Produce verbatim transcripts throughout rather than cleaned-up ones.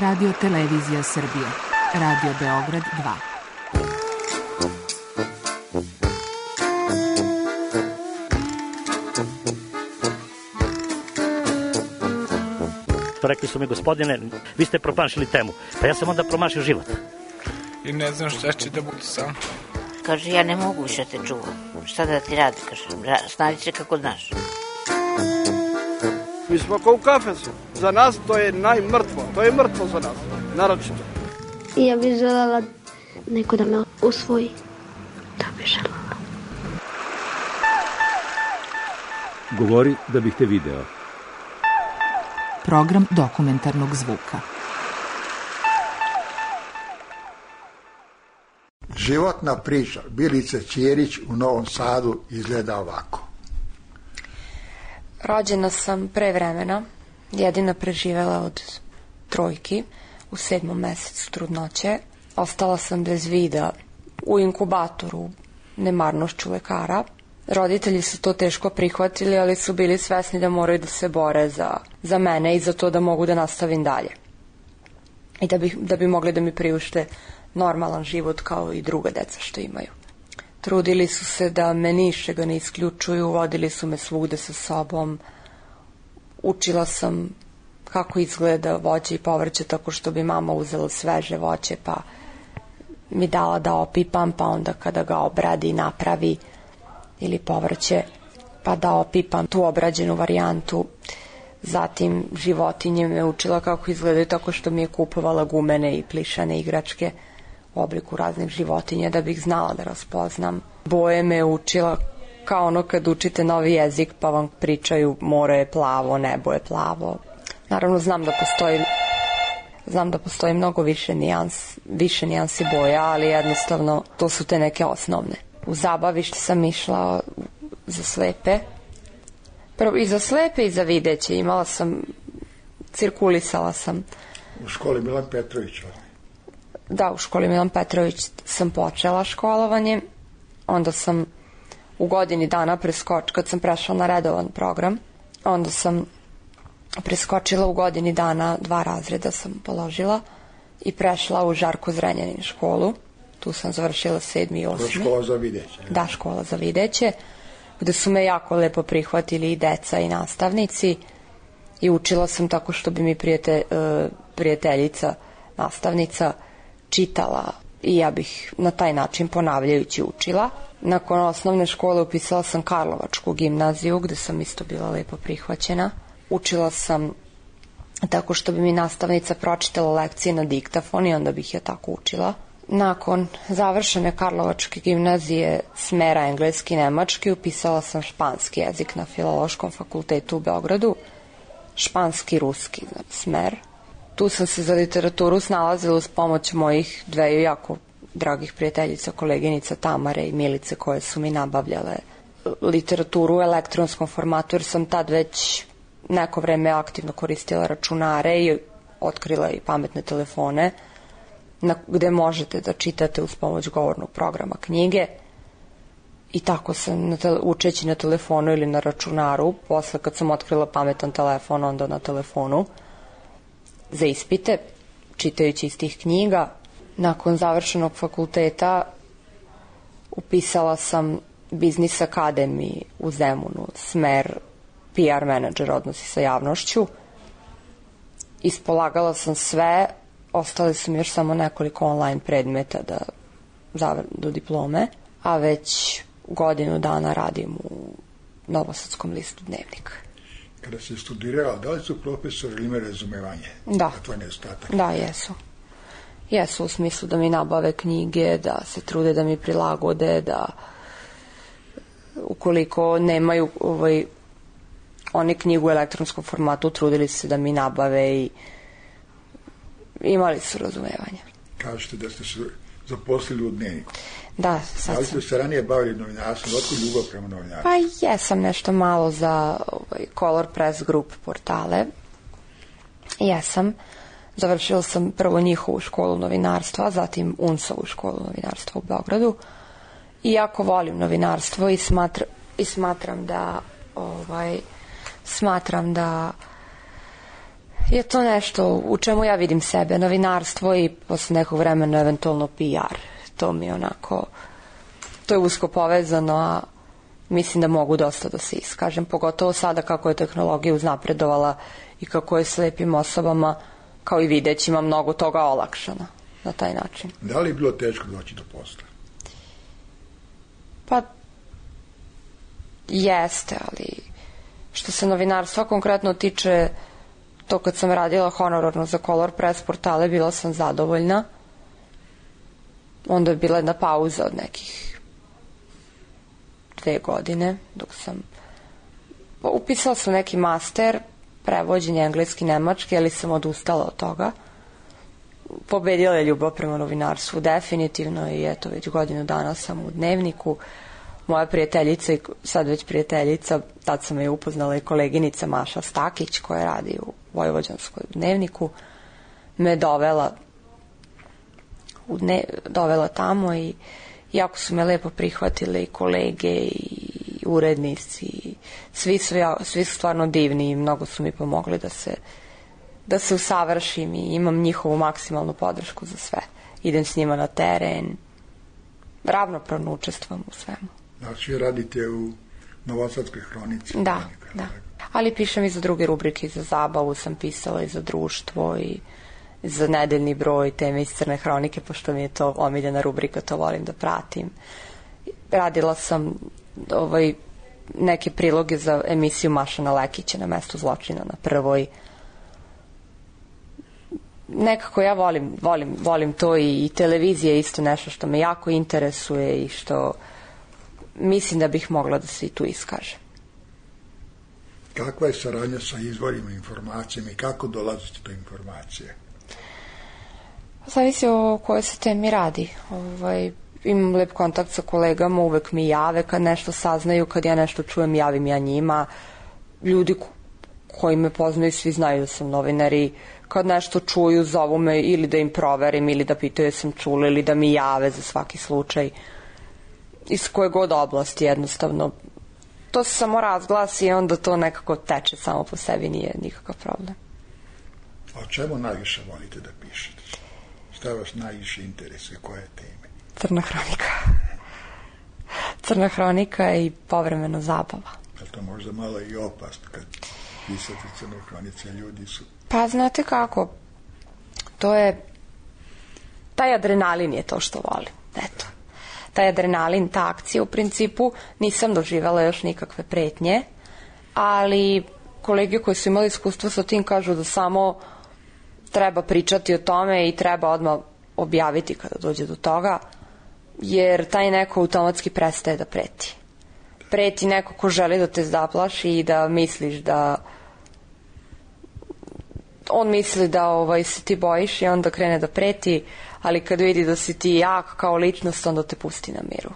Radio Televizija Srbije. Radio Beograd dva. Rekli su mi, gospodine, vi ste promašili temu. Pa ja sam onda promašio život. I ne znam šta će da bude sam. Kaže, ja ne mogu više te čuvam. Šta da ti radi, kaže, snađi se kako znaš. Mi smo kao u kafesu. Za nas to je najmrtvo. To je mrtvo za nas, naročito. I ja bih želela neko da me usvoji. Da bih želela. Govori da bih te video. Program dokumentarnog zvuka. Životna priča Bilice Ćirić u Novom Sadu izgleda ovako. Rođena sam pre vremena, jedina preživela od trojki u sedmom mesecu trudnoće. Ostala sam bez vida u inkubatoru nemarnošću lekara. Roditelji su to teško prihvatili, ali su bili svesni da moraju da se bore za, za mene i za to da mogu da nastavim dalje. I da bi, da bi mogli da mi priušte normalan život kao i druga deca što imaju. Trudili su se da me ničega ne isključuju, vodili su me svugde sa sobom. Učila sam kako izgleda voće i povrće tako što bi mama uzela sveže voće pa mi dala da opipam, pa onda kada ga obradi napravi ili povrće, pa da opipam tu obrađenu varijantu. Zatim životinje me učila kako izgledaju tako što mi je kupovala gumene i plišane igračke u obliku raznih životinja da bih znala da raspoznam. Boje me učila kao ono kad učite novi jezik pa vam pričaju more je plavo, nebo je plavo. Naravno znam da postoji znam da postoji mnogo više nijans, više nijansi boja, ali jednostavno to su te neke osnovne. U zabavište sam išla za slepe. Prvo i za slepe i za videće. Imala sam, cirkulisala sam. U školi Milan Petrović. Da, u školi Milan Petrović sam počela školovanje. Onda sam u godini dana preskočila, kad sam prešla na redovan program, onda sam preskočila u godini dana, dva razreda sam položila i prešla u Žarko Zrenjanin školu. Tu sam završila sedmi i osmi. Škola za videće. Da, škola za videće, gde su me jako lepo prihvatili i deca i nastavnici i učila sam tako što bi mi prijete, prijateljica, nastavnica čitala i ja bih na taj način ponavljajući učila. Nakon osnovne škole upisala sam Karlovačku gimnaziju gde sam isto bila lepo prihvaćena. Učila sam tako što bi mi nastavnica pročitala lekcije na diktafon i onda bih ja tako učila. Nakon završene Karlovačke gimnazije smera engleski i nemački upisala sam španski jezik na Filološkom fakultetu u Beogradu. Španski i ruski smer. Tu sam se za literaturu snalazila uz pomoć mojih dveju jako dragih prijateljica, koleginica Tamare i Milice koje su mi nabavljale literaturu u elektronskom formatu jer sam tad već neko vreme aktivno koristila računare i otkrila i pametne telefone na, gde možete da čitate uz pomoć govornog programa knjige i tako sam na te, učeći na telefonu ili na računaru, posle kad sam otkrila pametan telefon onda na telefonu za ispite, čitajući iz tih knjiga. Nakon završenog fakulteta upisala sam Biznis Akademiji u Zemunu, smer P R menadžer, odnosi sa javnošću. Ispolagala sam sve, ostali su mi još samo nekoliko online predmeta da zavr, do diplome, a već godinu dana radim u Novosadskom listu Dnevnik. Kada si studirala, da li su profesori imali razumevanje? Da. Tvoj nedostatak? Da, jesu. Jesu u smislu da mi nabave knjige, da se trude da mi prilagode, da ukoliko nemaju ovaj, oni knjigu u elektronskom formatu, trudili se da mi nabave i imali su razumevanja. Kažete da ste se zaposlili u Dnevniku. Da, sad sam. Da li ste se ranije bavili novinarstvom? Otkud ljubav prema novinarstvu? Pa jesam nešto malo za ovaj, Color Press Group portale. Jesam. Završila sam prvo njihovu školu novinarstva, zatim U N S-ovu školu novinarstva u Beogradu. I jako volim novinarstvo i, smatra, i smatram da ovaj, smatram da je to nešto u čemu ja vidim sebe, novinarstvo i posle nekog vremena eventualno P R. To mi je onako, to je usko povezano, a mislim da mogu dosta da se iskažem, pogotovo sada kako je tehnologija uznapredovala i kako je slepim osobama, kao i videćima, mnogo toga olakšano na taj način. Da li je bilo teško doći do posla? Pa, jeste, ali što se novinarstva konkretno tiče, to kad sam radila honorarno za Color Press portale, bila sam zadovoljna. Onda je bila jedna pauza od nekih dve godine, dok sam upisala sam neki master, prevođenje engleski-nemački, ali sam odustala od toga. Pobedila je ljubav prema novinarstvu, definitivno, i eto, već godinu dana sam u Dnevniku. Moja prijateljica, sad već prijateljica, tad sam je upoznala i koleginica Maša Stakić, koja radi u Vojvođanskoj Dnevniku, me dovela u dne, dovela tamo i jako su me lepo prihvatile i kolege i urednici. Svi su, ja, svi su stvarno divni i mnogo su mi pomogli da se, da se usavršim i imam njihovu maksimalnu podršku za sve. Idem s njima na teren, ravnopravno učestvujem u svemu. Znači, radite u Novosadskoj hronici? Da, hronika, da. Tako. Ali pišem i za druge rubrike, i za zabavu sam pisala, i za društvo, i za nedeljni broj, teme iz Crne hronike, pošto mi je to omiljena rubrika, to volim da pratim. Radila sam ovaj, neke priloge za emisiju Mašana Lekića na Mestu zločina na Prvoj. Nekako ja volim, volim, volim to i, i televizija je isto nešto što me jako interesuje i što mislim da bih mogla da se i tu iskaže. Kakva je saradnja sa izvorima informacijama i kako dolazite do informacije? Zavisi o kojoj se temi radi. Ovaj, imam lep kontakt sa kolegama, uvek mi jave kad nešto saznaju, kad ja nešto čujem, javim ja njima. Ljudi koji me poznaju, svi znaju da sam novinar i kad nešto čuju, zovu me ili da im proverim, ili da pitaju sam čula, ili da mi jave za svaki slučaj. Iz koje god oblasti, jednostavno. To se samo razglasi i onda to nekako teče samo po sebi, nije nikakav problem. A o čemu najviše volite da pišete? Šta vas najviše interesuje, koje teme? Crna hronika. Crna hronika i povremeno zabava. Je to možda malo i opasno kad pisate Crnu hronicu, ljudi su... Pa znate kako, to je, taj adrenalin je to što volim, eto. Taj adrenalin, ta akcija u principu, nisam doživjela još nikakve pretnje, ali kolege koji su imali iskustvo sa tim kažu da samo treba pričati o tome i treba odmah objaviti kada dođe do toga, jer taj neko automatski prestaje da preti. Preti neko ko želi da te zaplaši i da misliš da on misli da ovaj, se ti bojiš i onda krene da preti, ali kad vidi da si ti jak kao ličnost, onda te pusti na miru.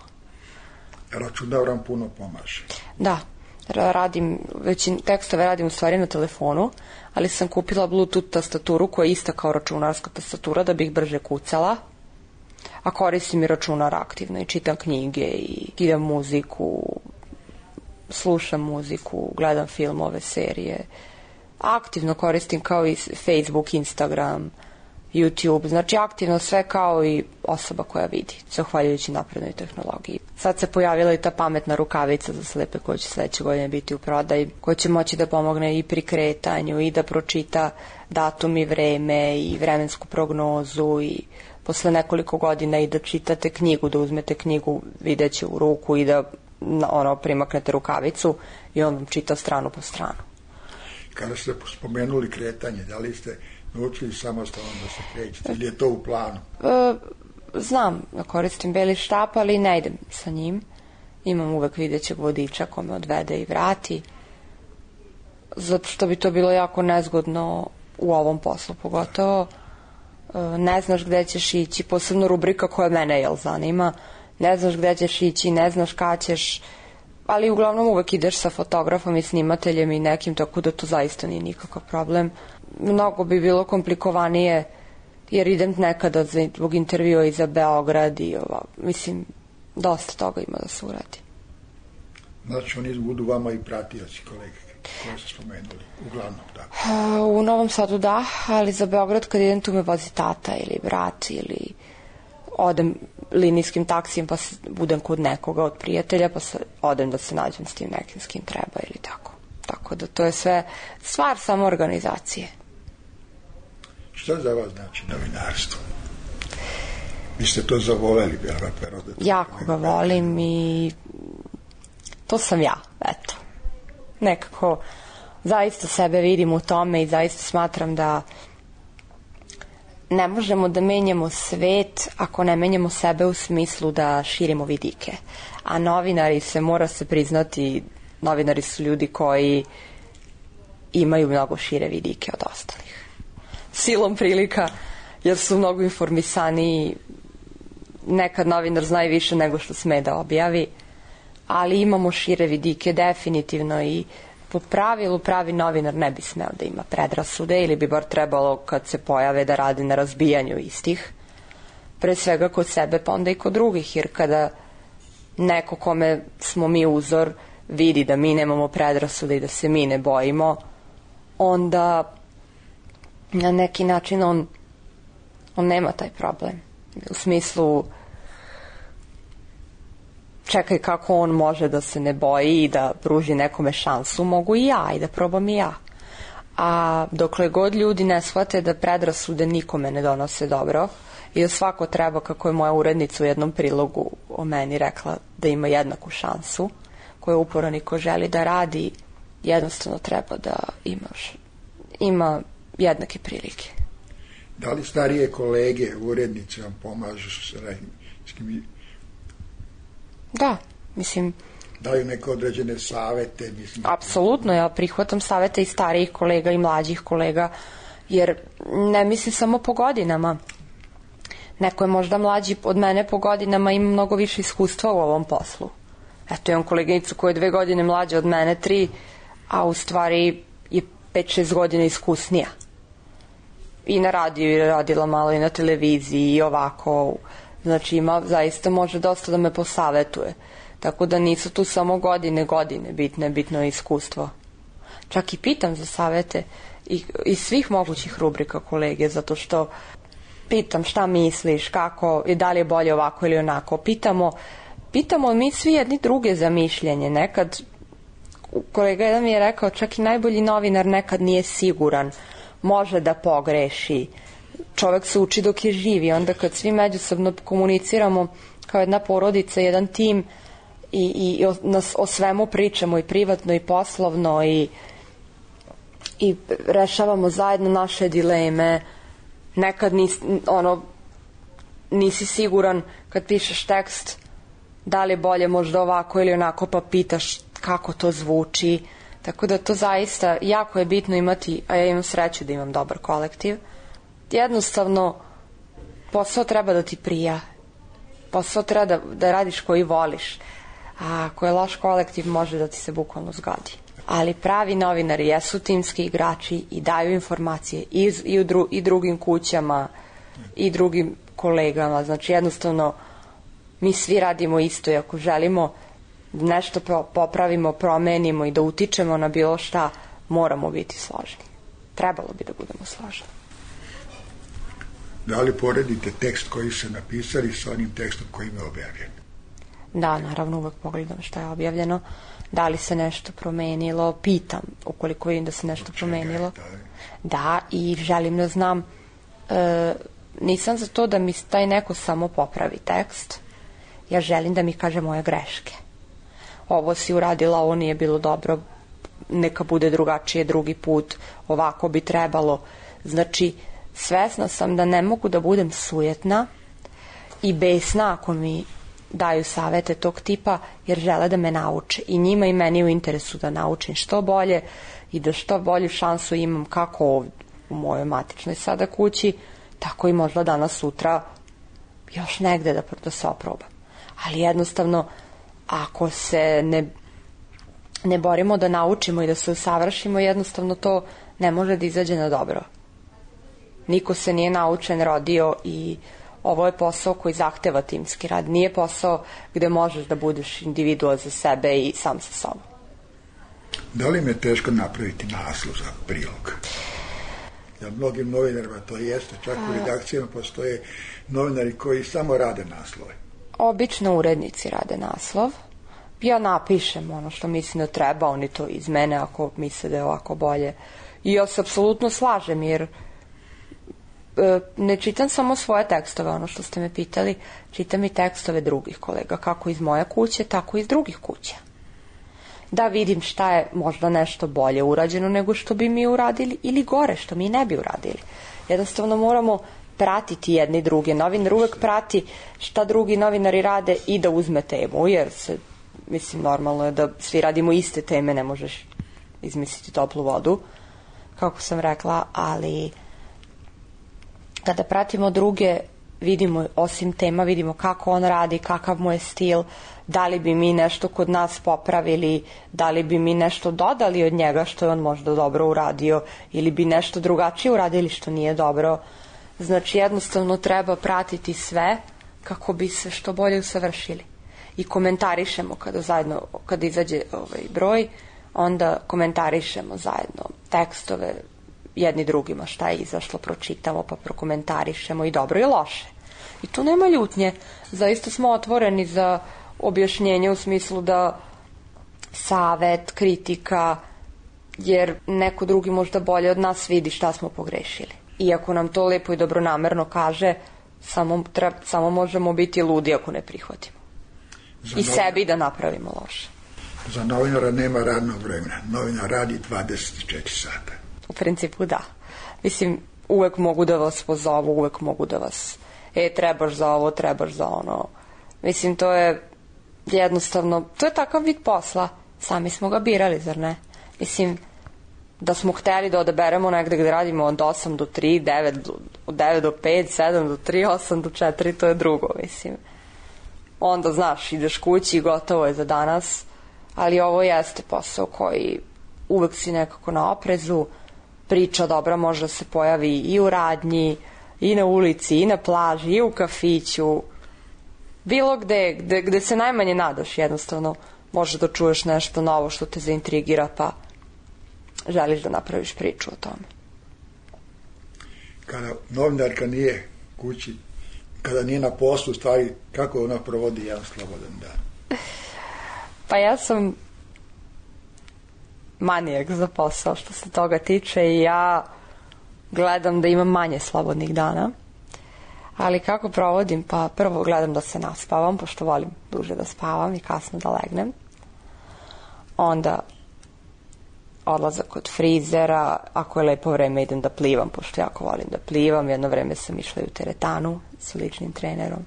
Računar vam puno pomaže. Da, radim, većin tekstove radim u stvari na telefonu, ali sam kupila Bluetooth tastaturu koja je ista kao računarska tastatura da bih brže kucala, a koristim i računar aktivno i čitam knjige i idem muziku, slušam muziku, gledam filmove, serije. Aktivno koristim kao i Facebook, Instagram, YouTube, znači aktivno sve kao i osoba koja vidi, zahvaljujući naprednoj tehnologiji. Sad se pojavila i ta pametna rukavica za slepe koja će sledeće godine biti u prodaji, koja će moći da pomogne i pri kretanju i da pročita datum i vreme i vremensku prognozu i posle nekoliko godina i da čitate knjigu, da uzmete knjigu videće u ruku i da ono, primaknete rukavicu i on vam čita stranu po stranu. Kada ste spomenuli kretanje, da li ste naučili samostalno da se krećete ili je to u planu? E, znam da koristim beli štap, ali ne idem sa njim. Imam uvek videćeg vodiča ko me odvede i vrati. Zato što bi to bilo jako nezgodno u ovom poslu, pogotovo. E, ne znaš gde ćeš ići, posebno rubrika koja mene jel zanima. Ne znaš gde ćeš ići, ne znaš kad ćeš, ali uglavnom uvek ideš sa fotografom i snimateljem i nekim, tako da to zaista nije nikakav problem. Mnogo bi bilo komplikovanije jer idem nekada zbog intervjua i za Beograd i ova, mislim, dosta toga ima da se uradi. Znači oni budu vama i pratioci, kolege? koje ste spomenuli, uglavnom, da. U Novom Sadu da, ali za Beograd kad idem tu me vozi tata ili brat ili odem linijskim taksijem pa budem kod nekoga od prijatelja pa se, odem da se nađem s tim nekim s kim treba ili tako. Tako da to je sve stvar samo organizacije. Šta za vas znači novinarstvo? Vi ste to zavoleli, vjerovatno. Jako ga volim i to sam ja, eto. Nekako zaista sebe vidim u tome i zaista smatram da ne možemo da menjamo svet ako ne menjamo sebe u smislu da širimo vidike. A novinari se, mora se priznati, novinari su ljudi koji imaju mnogo šire vidike od ostalih. Silom prilika, jer su mnogo informisaniji, nekad novinar zna i više nego što sme da objavi, ali imamo šire vidike definitivno i po pravilu pravi novinar ne bi smeo da ima predrasude ili bi bar trebalo kad se pojave da radi na razbijanju istih. Pre svega kod sebe pa onda i kod drugih, jer kada neko kome smo mi uzor vidi da mi nemamo predrasude i da se mi ne bojimo, onda na neki način on, on nema taj problem. U smislu čekaj kako on može da se ne boji i da pruži nekome šansu, mogu i ja i da probam i ja. A dokle god ljudi ne shvate da predrasude nikome ne donose dobro i da svako treba, kako je moja urednica u jednom prilogu o meni rekla, da ima jednaku šansu, koju uporno niko želi da radi, jednostavno treba da imaš, ima jednake prilike. Da li starije kolege, urednice vam pomažu s radijskim? Da, mislim... Daju neke određene savete? Mislim... Apsolutno, ja prihvatam savete i starijih kolega i mlađih kolega, jer ne mislim samo po godinama. Neko je možda mlađi od mene po godinama, ima mnogo više iskustva u ovom poslu. Eto, imam koleginicu koja je dve godine mlađa od mene, tri, a u stvari je pet šest godina iskusnija. I na radiju je radila malo i na televiziji i ovako. Znači ima, zaista može dosta da me posavetuje. Tako da nisu tu samo godine, godine bitne, bitno je iskustvo. Čak i pitam za savete i, iz svih mogućih rubrika kolege, zato što pitam šta misliš, kako, i da li je bolje ovako ili onako. Pitamo, pitamo mi svi jedni druge za mišljenje. Nekad, kolega jedan mi je rekao, čak i najbolji novinar nekad nije siguran, može da pogreši. Čovek se uči dok je živ i onda kad svi međusobno komuniciramo kao jedna porodica, jedan tim i, i o, nas, o svemu pričamo i privatno i poslovno i, i rešavamo zajedno naše dileme. Nekad nis, ono, nisi siguran kad pišeš tekst da li je bolje možda ovako ili onako, pa pitaš kako to zvuči. Tako da to zaista jako je bitno imati, a ja imam sreću da imam dobar kolektiv. Jednostavno posao treba da ti prija, posao treba da, da radiš koji voliš, a ako je loš kolektiv može da ti se bukvalno zgodi. Ali pravi novinari jesu timski igrači i daju informacije i, i, u dru, i drugim kućama i drugim kolegama. Znači jednostavno mi svi radimo isto i ako želimo nešto popravimo, promenimo i da utičemo na bilo šta, moramo biti složni. Trebalo bi da budemo složni. Da li poredite tekst koji ste napisali sa onim tekstom koji je objavljen? Da, naravno uvek pogledam šta je objavljeno. Da li se nešto promenilo, pitam ukoliko vidim da se nešto promenilo. Da, i želim da znam, e, nisam za to da mi taj neko samo popravi tekst, ja želim da mi kaže moje greške. Ovo si uradila, ovo nije bilo dobro, neka bude drugačije drugi put, ovako bi trebalo. Znači, svesna sam da ne mogu da budem sujetna i besna ako mi daju savete tog tipa, jer žele da me nauče. I njima i meni u interesu da naučim što bolje i da što bolju šansu imam kako ovdje u mojoj matičnoj sada kući, tako i možda danas sutra još negde da, da se oprobam. Ali jednostavno, ako se ne, ne borimo da naučimo i da se usavršimo, jednostavno to ne može da izađe na dobro. Niko se nije naučen rodio i ovo je posao koji zahteva timski rad. Nije posao gde možeš da budeš individua za sebe i sam sa sobom. Da li im je teško napraviti naslov za prilog? Ja, mnogim novinarima to jeste, čak u redakcijama postoje novinari koji samo rade naslove. Obično urednici rade naslov. Ja napišem ono što mislim da treba, oni to izmene ako misle da je ovako bolje. I ja se apsolutno slažem, jer e, ne čitam samo svoje tekstove, ono što ste me pitali, čitam i tekstove drugih kolega, kako iz moje kuće, tako i iz drugih kuća. Da vidim šta je možda nešto bolje urađeno nego što bi mi uradili, ili gore što mi ne bi uradili. Jednostavno moramo pratiti jedni druge. Novinar uvek prati šta drugi novinari rade i da uzme temu, jer se, mislim, normalno je da svi radimo iste teme, ne možeš izmisliti toplu vodu, kako sam rekla, ali kada pratimo druge, vidimo, osim tema, vidimo kako on radi, kakav mu je stil, da li bi mi nešto kod nas popravili, da li bi mi nešto dodali od njega što je on možda dobro uradio, ili bi nešto drugačije uradili što nije dobro. Znači, jednostavno treba pratiti sve kako bi se što bolje usavršili. I komentarišemo kada zajedno, kada izađe ovaj broj, onda komentarišemo zajedno tekstove jedni drugima, šta je izašlo, pročitamo pa prokomentarišemo i dobro i loše. I tu nema ljutnje. Zaista smo otvoreni za objašnjenje u smislu da savet, kritika, jer neko drugi možda bolje od nas vidi šta smo pogrešili. Iako nam to lepo i dobronamerno kaže, samo, treba, samo možemo biti ludi ako ne prihvatimo. Za I novinar, sebi da napravimo loše. Za novinara nema radnog vremena. Novinar radi dvadeset četiri sata. U principu da. Mislim, uvek mogu da vas pozovu, uvek mogu da vas, e, trebaš za ovo, trebaš za ono. Mislim, to je jednostavno, to je takav vid posla. Sami smo ga birali, zar ne? Mislim, da smo hteli da odaberemo negde gde radimo od osam do tri, devet, od devet do pet, sedam do tri, osam do četiri, to je drugo, mislim. Onda, znaš, ideš kući i gotovo je za danas, ali ovo jeste posao koji uvek si nekako na oprezu, priča dobra može da se pojavi i u radnji, i na ulici, i na plaži, i u kafiću, bilo gde, gde, gde se najmanje nadaš, jednostavno možeš da čuješ nešto novo što te zaintrigira, pa želiš da napraviš priču o tome. Kada novinarka nije kući, kada nije na poslu, stvari, kako ona provodi jedan slobodan dan? Pa ja sam manijak za posao što se toga tiče i ja gledam da imam manje slobodnih dana. Ali kako provodim? Pa prvo gledam da se naspavam, pošto volim duže da spavam i kasno da legnem. Onda odlazak kod frizera, ako je lepo vreme idem da plivam, pošto jako volim da plivam. Jedno vreme sam išla i u teretanu sa ličnim trenerom.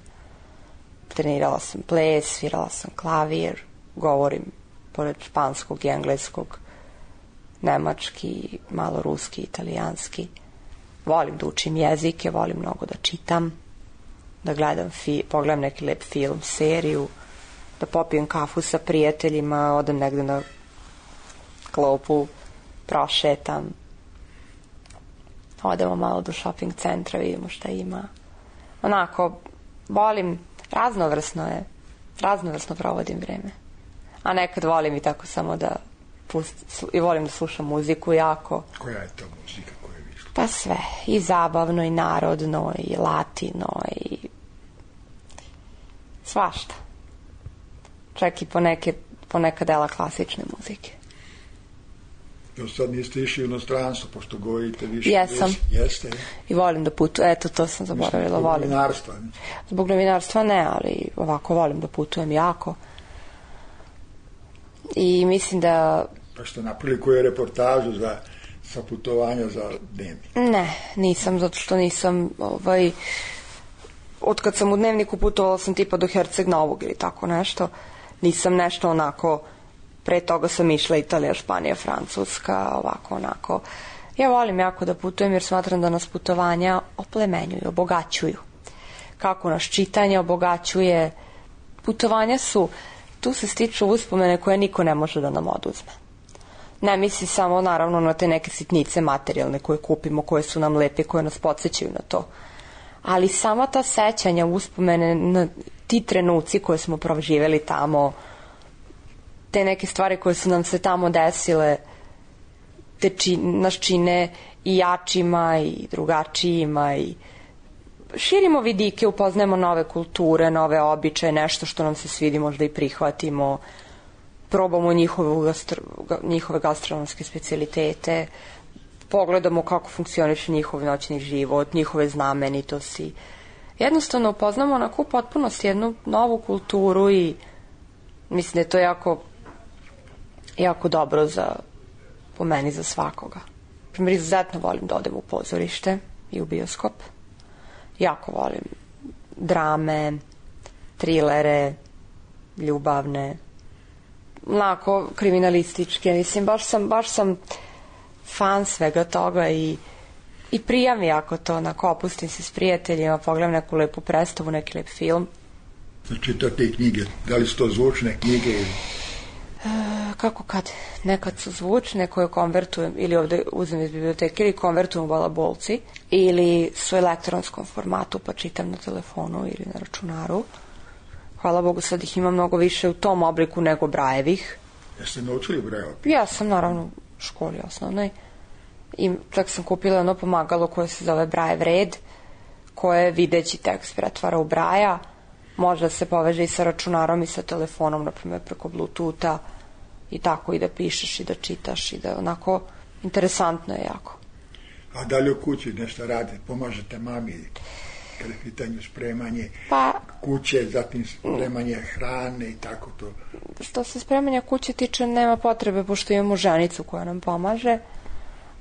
Trenirala sam ples, svirala sam klavir, govorim pored španskog i engleskog, nemački, malo ruski, italijanski. Volim da učim jezike, volim mnogo da čitam, da gledam, fi, pogledam neki lep film, seriju, da popijem kafu sa prijateljima, odem negde na klopu, prošetam, odemo malo do shopping centra, vidimo šta ima. Onako, volim, raznovrsno je, raznovrsno provodim vreme. A nekad volim i tako samo da pust, i volim da slušam muziku jako. Koja je to muzika koja je išla? Pa sve, i zabavno, i narodno, i latino, i svašta. Čak i poneke, poneka dela klasične muzike. Jo, sad niste išli u inostranstvo, pošto govorite više. Jesam. Jeste. I volim da putujem, eto, to sam zaboravila, volim. Zbog novinarstva? Zbog novinarstva ne, ali ovako volim da putujem jako. I mislim da... Pa što napravili koju reportažu za, sa putovanja za Dnevnik? Ne, nisam, zato što nisam, ovaj, od kad sam u Dnevniku putovala sam tipa do Herceg Novog ili tako nešto, nisam nešto onako, pre toga sam išla Italija, Španija, Francuska, ovako onako. Ja volim jako da putujem jer smatram da nas putovanja oplemenjuju, obogaćuju. Kako nas čitanje obogaćuje, putovanja su, tu se stiču uspomene koje niko ne može da nam oduzme. Ne misli samo naravno na te neke sitnice materijalne koje kupimo, koje su nam lepe, koje nas podsjećaju na to. Ali sama ta sećanja, uspomene, na ti trenuci koje smo proživjeli tamo, te neke stvari koje su nam se tamo desile te či, nas čine i jačima i drugačijima i širimo vidike, upoznajemo nove kulture, nove običaje, nešto što nam se svidi možda i prihvatimo, probamo njihove, gastro, njihove gastronomske specijalitete, pogledamo kako funkcioniše njihov noćni život, njihove znamenitosti. Jednostavno upoznamo onako u potpunosti jednu novu kulturu i mislim da je to jako jako dobro za, po meni, za svakoga. Primjer, izuzetno volim da odem u pozorište i u bioskop. Jako volim drame, trilere, ljubavne, onako kriminalističke. Mislim, baš sam, baš sam fan svega toga i, i prija mi ako to, onako, opustim se s prijateljima, pogledam neku lepu predstavu, neki lep film. Znači, to te knjige, da li su to zvučne knjige ili... E, kako kad? Nekad su zvučne koje konvertujem ili ovde uzmem iz biblioteke ili konvertujem u balabolci ili su u elektronskom formatu pa čitam na telefonu ili na računaru. Hvala Bogu, sad ih ima mnogo više u tom obliku nego Brajevih. Jeste naučili Brajeva? Ja sam naravno u školi osnovnoj i čak sam kupila ono pomagalo koje se zove Brajev red, koje videći tekst pretvara u Braja. Može da se poveže i sa računarom i sa telefonom, na primjer preko Bluetootha i tako, i da pišeš i da čitaš i da onako interesantno je jako. A da li u kući nešto radite, pomažete mami kada je pitanje spremanje pa, kuće, zatim spremanje hrane i tako to? Što se spremanja kuće tiče, nema potrebe, pošto imamo ženicu koja nam pomaže,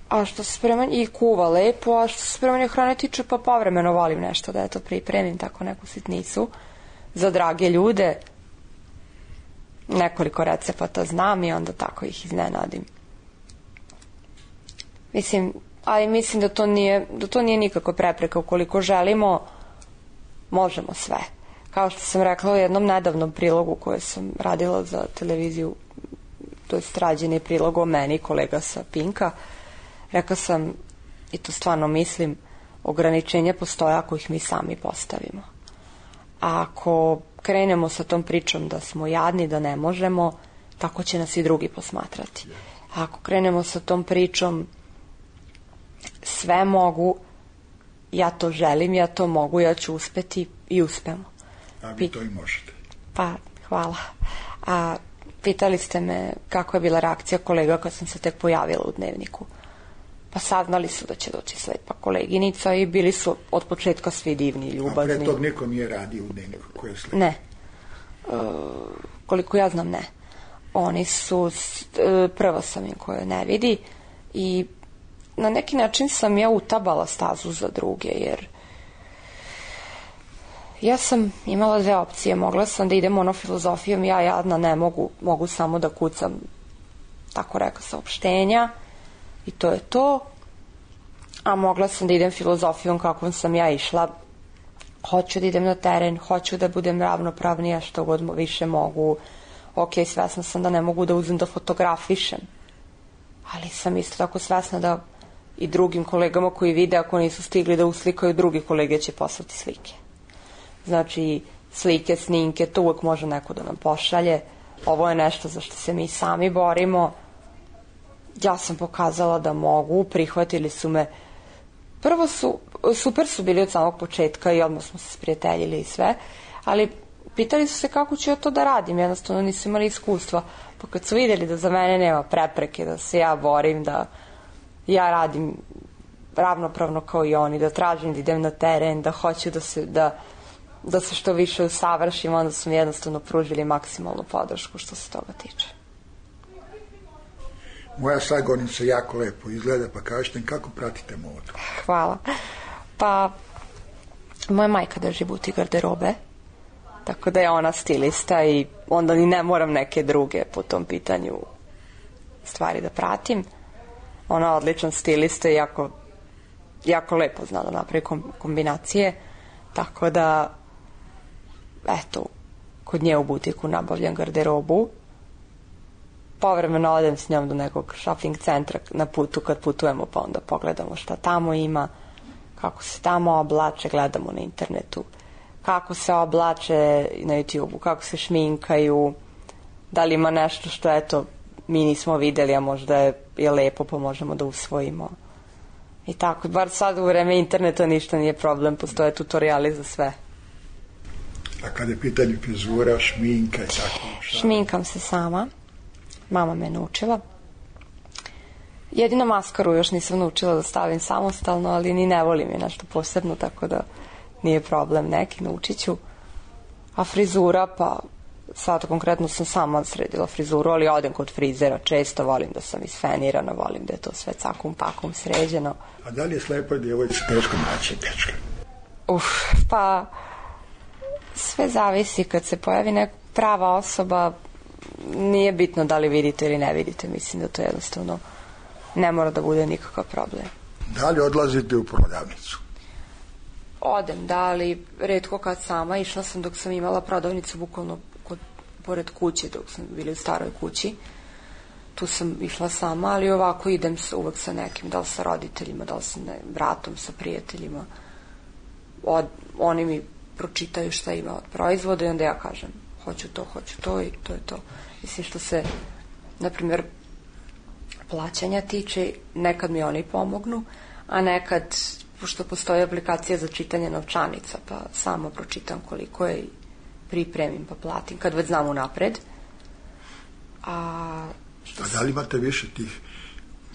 a što se spremanje i kuva lepo, a što se spremanje hrane tiče, pa povremeno volim nešto da eto pripremim, tako neku sitnicu za drage ljude. Nekoliko recepata znam i onda tako ih iznenadim. Mislim, ali mislim da to nije, da to nije nikako prepreka. Ukoliko želimo, možemo sve. Kao što sam rekla u jednom nedavnom prilogu koje sam radila za televiziju, to je rađeni prilog o meni, kolega sa Pinka, rekla sam, i to stvarno mislim, ograničenja postoje ako ih mi sami postavimo. A ako krenemo sa tom pričom da smo jadni, da ne možemo, tako će nas i drugi posmatrati. A ako krenemo sa tom pričom sve mogu, ja to želim, ja to mogu, ja ću uspeti, i uspemo. A vi to i možete. Pa, hvala. A pitali ste me kako je bila reakcija kolega kad sam se tek pojavila u Dnevniku. Pa saznali su da će doći slepa koleginica i bili su od početka svi divni, ljubazni. A pre tog niko nije radio u Dnevniku koja je slepa? Ne. E, koliko ja znam, ne. Oni su, e, prva sam im koja ne vidi i na neki način sam ja utabala stazu za druge, jer ja sam imala dve opcije. Mogla sam da idem ono filozofijom, ja jadna ne mogu, mogu samo da kucam, tako reka, saopštenja i to je to. A mogla sam da idem filozofijom kakvom sam ja išla. Hoću da idem na teren, hoću da budem ravnopravnija što god više mogu. Ok, svesna sam da ne mogu da uzem da fotografišem, ali sam isto tako svesna da i drugim kolegama koji vide, ako nisu stigli da uslikaju, drugi kolege će poslati slike. Znači, slike, snimke, to uvek može neko da nam pošalje. Ovo je nešto za što se mi sami borimo. Ja sam pokazala da mogu, prihvatili su me. Prvo su, super su bili od samog početka i odmah smo se sprijateljili i sve, ali pitali su se kako ću ja to da radim, jednostavno nisu imali iskustva. Pa kad su vidjeli da za mene nema prepreke, da se ja borim, da ja radim ravnopravno kao i oni, da tražim da idem na teren, da hoću da se, da, da se što više usavršim, onda su mi jednostavno pružili maksimalnu podršku što se toga tiče. Moja sagonica jako lepo izgleda, pa kažete kako pratite modu? Hvala. Pa, moja majka drži butik garderobe, tako da je ona stilista i onda ni ne moram neke druge po tom pitanju stvari da pratim. Ona je odličan stilista i jako, jako lepo zna da napravi kombinacije, tako da eto, kod nje u butiku nabavljam garderobu. Povremeno odem s njom do nekog shopping centra na putu kad putujemo, pa onda pogledamo šta tamo ima, kako se tamo oblače, gledamo na internetu kako se oblače, na YouTubeu kako se šminkaju, da li ima nešto što, eto, mi nismo videli, a možda je, je lepo, pa možemo da usvojimo. I tako, bar sad u vreme interneta ništa nije problem, postoje tutoriali za sve. A kada je pitanje frizura, šminka i tako? Šta? Šminkam se sama. Mama me naučila. Jedino maskaru još nisam naučila da stavim samostalno, ali ni ne volim je nešto posebno, tako da nije problem neki, naučit ću. A frizura, pa sad konkretno sam sama sredila frizuru, ali odem kod frizera često, volim da sam isfenirana, volim da je to sve cakum pakum sređeno. A da li je slepoj djevojci teško naći dečka? Uf, pa sve zavisi, kad se pojavi neka prava osoba, nije bitno da li vidite ili ne vidite, mislim da to jednostavno ne mora da bude nikakav problem. Da li odlazite u prodavnicu? Odem, da, ali retko kad sama. Išla sam dok sam imala prodavnicu bukvalno kod, pored kuće, dok sam bili u staroj kući. Tu sam išla sama, ali ovako idem sa, uvek sa nekim, da li sa roditeljima, da li sa ne, bratom, sa prijateljima. Od, oni mi pročitaju šta ima od proizvoda i onda ja kažem hoću to, hoću to i to je to. Mislim što se, na primjer, plaćanja tiče, nekad mi oni pomognu, a nekad, pošto postoji aplikacija za čitanje novčanica, pa samo pročitam koliko je i pripremim pa platim, kad već znam unapred. A, što a da li imate više tih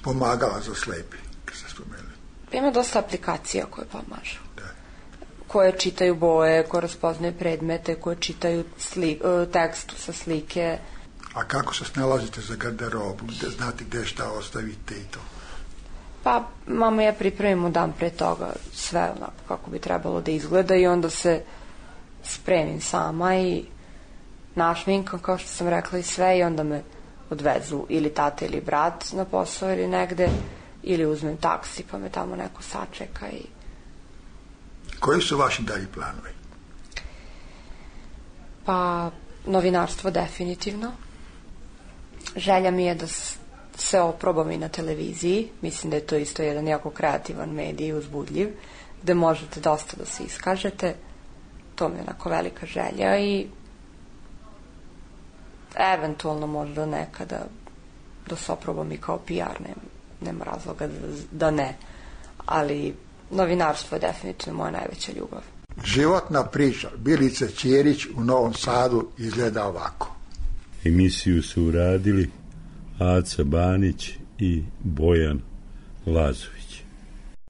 pomagala za slepi, kad ste spomenuli? Ima dosta aplikacija koje pomažu. Da. Koje čitaju boje, koje raspoznaju predmete, koje čitaju sli, tekstu sa slike. A kako se snalazite za garderobu? Gde, znate gde šta ostavite i to? Pa, mama i ja pripremimo dan pre toga sve onako kako bi trebalo da izgleda i onda se spremim sama i našminkam, kao što sam rekla, i sve, i onda me odvezu ili tata ili brat na posao ili negde, ili uzmem taksi pa me tamo neko sačeka. I koji su vaši dalji planovi? Pa, novinarstvo definitivno. Želja mi je da se oprobam i na televiziji. Mislim da je to isto jedan jako kreativan medij, uzbudljiv, gde možete dosta da se iskažete. To mi je onako velika želja i eventualno možda nekada da se oprobam i kao P R, nema, nema razloga da, da ne. Ali novinarstvo je definitivno moja najveća ljubav. Životna priča Bilice Ćerić u Novom Sadu izgleda ovako. Emisiju su uradili Aca Banić i Bojan Lazović.